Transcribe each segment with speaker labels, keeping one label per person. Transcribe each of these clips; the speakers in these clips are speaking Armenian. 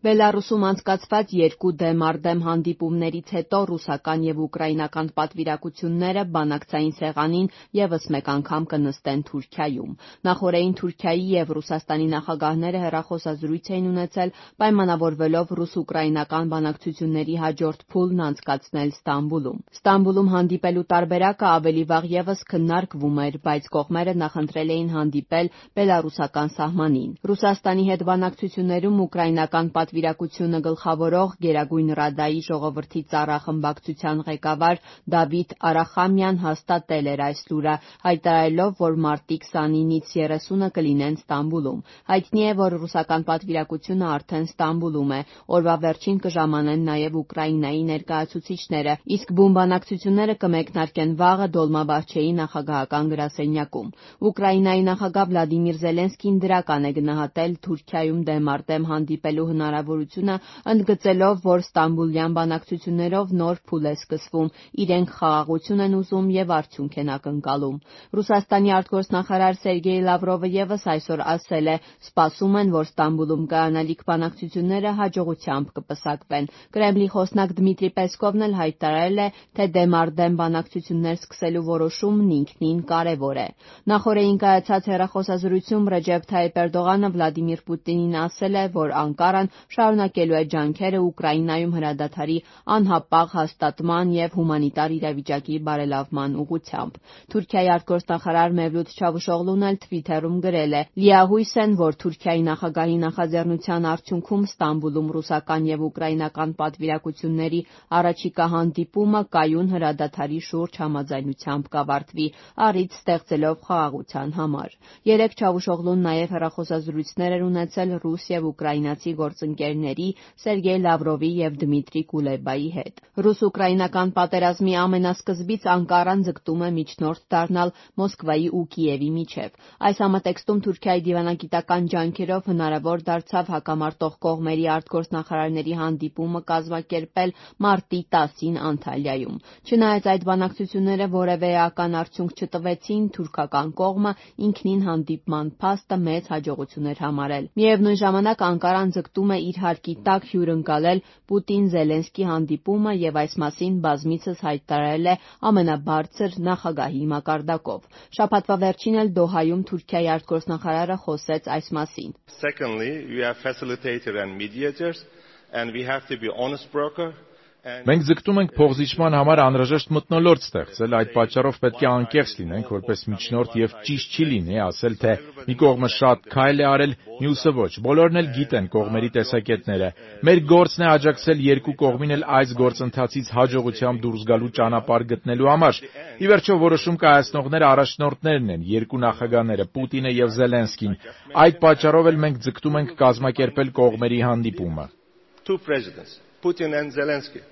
Speaker 1: Բելառուսում անցկացված երկու դեմ առ դեմ հանդիպումներից հետո ռուսական եւ ուկրաինական պատվիրակությունները բանակցային սեղանին եւս մեկ անգամ կնստեն Թուրքիայում։ Նախօրեին Թուրքիայի եւ Ռուսաստանի նախագահները հեռախոսազրույց էին ունեցել, պայմանավորվելով ռուս-ուկրաինական բանակցությունների հաջորդ փուլն անցկացնել Ստամբուլում։ Ստամբուլում հանդիպելու տարբերակը ավելի վաղ եւս քննարկվում էր, բայց կողմերը նախընտրել էին հանդիպել բելառուսական սահմանին։ Ռուսաստանի հետ բանակցություններում ուկրաինական պատվիրակությունը գլխավորող Գերագույն Ռադայի ժողովրդի ծառախմբակցության ղեկավար Դավիթ Արախամյան հաստատել էր այս լուրը, հայտարարելով, որ մարտի 29-ից 30-ը կլինեն Ստամբուլում։ Հայտնի է, որ ռուսական պատվիրակությունը արդեն Ստամբուլում է։ Օրվա վերջին կժամանեն նաև Ուկրաինայի ներկայացուցիչները, իսկ բուն բանակցությունները կմեկնարկեն վաղը Դոլմաբահչեի նախագահական գրասենյակում։ Ուկրաինայի նախագահ Վլադիմիր Զելենսկին դրական է գնահատել Թուրքիայում դեմ առ դեմ հանդիպելու հնարավորությունը, ընդգծելով, որ ստամբուլյան բանակցություններով նոր փուլ է սկսվում, իրենք խաղաղություն են ուզում եւ արդյունք են ակնկալում։ Ռուսաստանի արտգործնախարար Սերգեյ Լավրովը եւս այսօր ասել է, սպասում են, որ Ստամբուլում կայանալիք բանակցությունները հաջողությամբ կպսակվեն։ Կրեմլի խոսնակ Դմիտրի Պեսկովն էլ հայտարարել է, թե դեմ առ դեմ բանակցություններ սկսելու որոշումն ինքնին կարևոր է։ Նախօրեին կայացած հեռախոսազրույցում Ռեջեփ Թայիփ Էրդողանը Վլադիմիր Պուտինին ասել է, որ Անկարան շարունակելու է ջանքերը Ուկրաինայում հրադադարի անհապաղ հաստատման եւ հումանիտար իրավիճակի բարելավման ուղղությամբ։ Թուրքիայի արտգործնախարար Մևլութ Չավուշօղլուն էլ Թվիթերում գրել է. «Լիահույս են, որ Թուրքիայի նախագահի նախաձեռնության արդյունքում Ստամբուլում ռուսական եւ ուկրաինական պատվիրակությունների առաջիկա հանդիպումը կայուն հրադադարի շուրջ համաձայնությամբ կավարտվի, առիթ ստեղծելով խաղաղության համար»։ Երեկ Չավուշօղլուն նաեւ հեռախոսազրույցներ էր ունեցել ռուս եւ ուկրաինացի գործընկերների Սերգեյ Լավրովի եւ Դմիտրի Կուլեբայի հետ։ Ռուս-ուկրաինական պատերազմի ամենասկզբից Անկարան ձգտում է միջնորդ դառնալ Մոսկվայի ու Կիևի միջև։ Այս համատեքստում Թուրքիայի դիվանագիտական ջանքերով հնարավոր դարձավ հակամարտող կողմերի արտգործնախարարների հանդիպումը կազմակերպել մարտի 10-ին Անտալիայում։ Չնայած այդ բանակցությունները որևէ էական արդյունք չտվեցին, թուրքական կողմը ինքնին հանդիպման փաստը մեծ հաջողություն էր համարել։ Միևնույն ժամանակ Անկարան ձգտում է իր հարկի տակ հյուրընկալել Պուտին-Զելենսկի հանդիպումը եւ այս մասին բազմիցս հայտարարել է ամենաբարձր նախագահի մակարդակով։ Շաբաթվա վերջին էլ Դոհայում Թուրքիայի արտգործնախարարը խոսեց այս մասին։
Speaker 2: Secondly, we are facilitators and mediators and we have to be honest broker.
Speaker 3: Մենք ձգտում ենք փոխզիջման համար անհրաժեշտ մթնոլորտ ստեղծել, այդ պատճառով պետք է անկեղծ լինենք որպես միջնորդ եւ ճիշտ չի լինի ասել, թե մի կողմը շատ քայլ է արել, մյուսը ոչ։ Բոլորն էլ գիտեն կողմերի տեսակետները։ Մեր գործն է աջակցել երկու կողմին էլ այս գործընթացից հաջողությամբ դուրս գալու ճանապարհ գտնելու համար։ Ի վերջո որոշում կայացնողները առաջնորդներն են, երկու նախագահները՝ Պուտինը եւ Զելենսկին։ Այդ պատճառով էլ մենք ձգտում ենք կազմակերպել կողմերի հանդիպումը։
Speaker 2: Two presidents, Putin and Zelensky.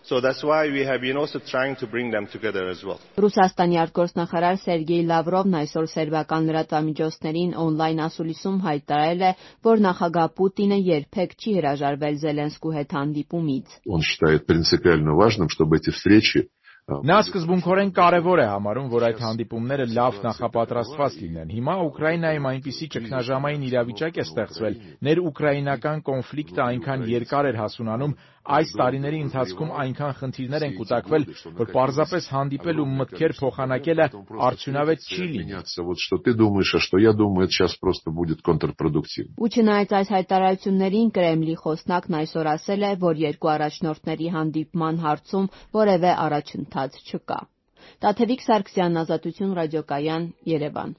Speaker 2: So that's why we have been also trying to bring them together as well.
Speaker 1: Ռուսաստանի արտգործնախարար Սերգեյ Լավրովն այսօր սերբական լրատվամիջոցներին օնլայն ասուլիսում հայտարարել է, որ նախագահ Պուտինը երբեք չի հրաժարվել Զելենսկու հետ հանդիպումից։
Speaker 4: Он считает принципиально важным, чтобы эти встречи
Speaker 3: Նա սկզբունքորեն կարևոր է համարում, որ այդ հանդիպումները լավ նախապատրաստված լինեն։ Հիմա Ուկրաինայում այնպիսի ճգնաժամային իրավիճակ է ստեղծվել, ներ-ուկրաինական կոնֆլիկտը այնքան երկար էր հասունանում, այս տարիների ընթացքում այնքան խնդիրներ են կուտակվել, որ պարզապես հանդիպել ու մտքեր փոխանակելը արդյունավետ չի լինի։
Speaker 4: Вот что ты думаешь, а что я думаю, это сейчас просто будет контрпродуктивно.
Speaker 1: Ու չնայած այս հայտարարություններին Կրեմլի խոսնակն այսօր ասել է, որ երկու առաջնորդների հանդիպման հարցում որևէ առաջընթաց չկա։ Տաթևիկ Սարգսյան, Ազատություն ռադիոկայան, Երևան։